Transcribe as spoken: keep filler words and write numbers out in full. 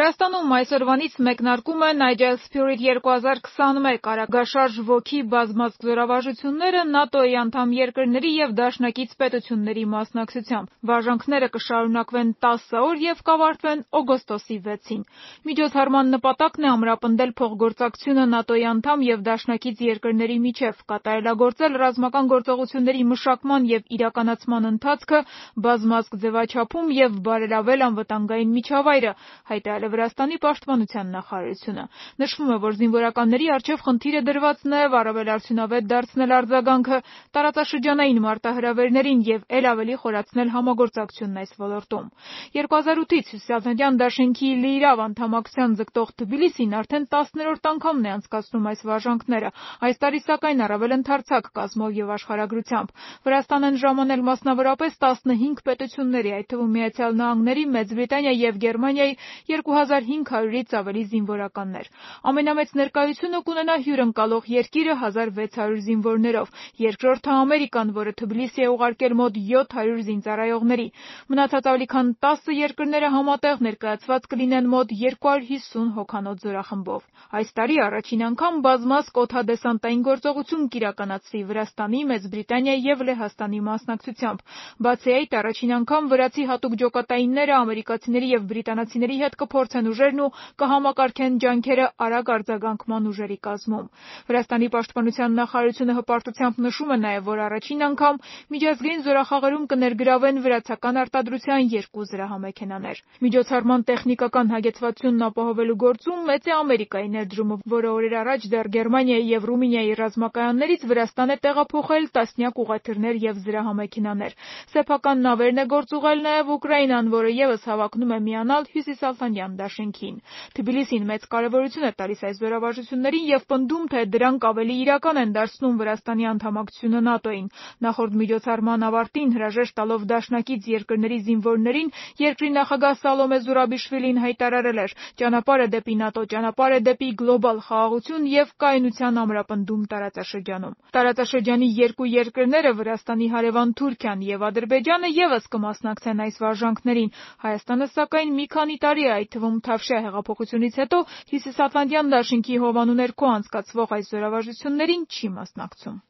Վրաստանում այսօրվանից մեկնարկում է Nigel Spirit երկու հազար քսանմեկ արագաշարժ ոգի բազմազգ զորավարժությունները ՆԱՏՕ-ի անդամ երկրների և դաշնակից պետությունների մասնակցությամբ։ Վարժանքները կշարունակվեն տասը օր և կավարտվեն օգոստոսի վեցին։ Միջոցառման նպատակն է ամրապնդել փոխգործակցությունը ՆԱՏՕ-ի անդամ և դաշնակից երկրների միջև, կատարելագործել ռազմական գործողությունների մշակման և իրականացման ընթացքը բազմազգ ձևաչափում և բարելավել անվտանգային միջավայրը, հայտարարել է Վրաստանի պաշտպանության նախարարությունը։ Նշվում է, որ զինվորականների առջև խնդիր է դրված նաև առավել արդյունավետ դարձնել արձագանքը տարածաշրջանային մարտահրավերներին և էլ ավելի խորացնել համագործակցությունն այս ոլորտում։ երկու հազար ութից Հյուսիսատլանտյան դաշինքի լիիրավ անդամակցության ձգտող Թբիլիսին արդեն տասներորդ անգամն է անցկացնում այս վարժանքները, այս տարի սակայն առավել ընդարձակ կազմով և աշխարհագրությամբ։ Վրաստան են ժամանել մասնավորապես տասնհինգ պետությունների, այդ թվում Միացյալ Նահանգների, Մեծ Բրիտանիայի և Գերմանիայի երկու հազար հինգ հարյուրից ավելի զինվորականներ։ Ամենամեծ ներկայությունը կունենա հյուրընկալող երկիրը հազար վեց հարյուր զինվորներով, երկրորդը Ամերիկան, որը Թբիլիսի է ուղարկել մոտ յոթ հարյուր զինծառայողների։ Մնացած ավելի քան տասը երկրները համատեղ ներկայացված կլինեն մոտ երկու հարյուր հիսուն հոգանոց զորախմբով։ Այս տարի առաջին անգամ բազմազգ օդադեսանտային գործողություն կիրականացվի Վրաստանի, Մեծ Բրիտանիայի և Լեհաստանի մասնակցությամբ։ Բացի այդ, առաջին անգամ վրացի հատուկ ջոկատայինները ամերիկացիների և բրիտանացիների հետ կփորձեն ուժերն ու կհամակարգեն ջանքերը արագ արձագանքման ուժերի կազմում։ Վրաստանի պաշտպանության նախարարությունը հպարտությամբ նշում է նաև, որ առաջին անգամ միջազգային զորախաղերում կներգրավեն վրացական արտադրության երկու զրահամեքենաներ։ Միջոցառման տեխնիկական հագեցվածությունն ապահովելու գործում մեծ է Ամերիկայի ներդրումը, որը օրեր առաջ դեռ Գերմանիայի և Ռումինիայի ռազմակայաններից Վրաստան է տեղափոխել տասնյակ ուղղաթիռներ և զրահամեքենաներ։ Սեփական նավերն է գործուղել նաև Ուկրաինան, որը ևս հավակնում է միանալ Հյուսիսատլանտյան դաշինքին։ Թբիլիսին մեծ կարևորություն է տալիս այս զորավարժություններին և պնդում, թե դրանք ավելի իրական են դարձնում Վրաստանի անդամակցությունը ՆԱՏՕ-ին։ Նախորդ միջոցառման ավարտին հրաժեշտ տալով դաշնակից երկրների զինվորներին, երկրի նախագահ Սալոմե Զուրաբիշվիլին հայտարարել էր. «Ճանապարհը դեպի ՆԱՏՕ, ճանապարհը դեպի գլոբալ խաղաղություն և կայունության ամրապնդում տարածաշրջանում»։ Տարածաշրջանի երկու երկրները՝ Վրաստանի հարևան Թուրքիան և Ադրբեջանը, ևս կմասնակցեն այս վարժանքներին։ Հայաստանը, սակայն, մի քանի տարի է, այդ թվում Թավշյա հեղափոխությունից հետո, Հյուսիսատլանտյան դաշինքի հովանու ներքո անցկացվող այս զորավարժություններին չի մասնակցում։